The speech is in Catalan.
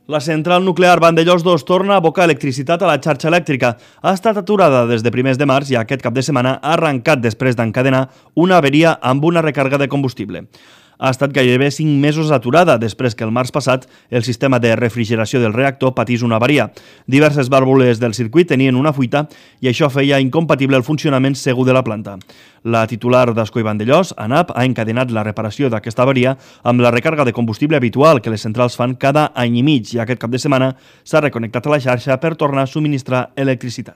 La central nuclear Vandellòs 2 torna a abocar electricitat a la xarxa elèctrica. Ha estat aturada des de primers de març i aquest cap de setmana ha arrencat després d'encadenar una averia amb una recàrrega de combustible. Ha estat gairebé 5 mesos aturada després que el març passat el sistema de refrigeració del reactor patís una avaria. Diverses vàlvules del circuit tenien una fuita i això feia incompatible el funcionament segur de la planta. La titular d'Ascó i Vandellòs, ANAP, ha encadenat la reparació d'aquesta avaria amb la recàrrega de combustible habitual que les centrals fan cada any i mig i aquest cap de setmana s'ha reconnectat a la xarxa per tornar a subministrar electricitat.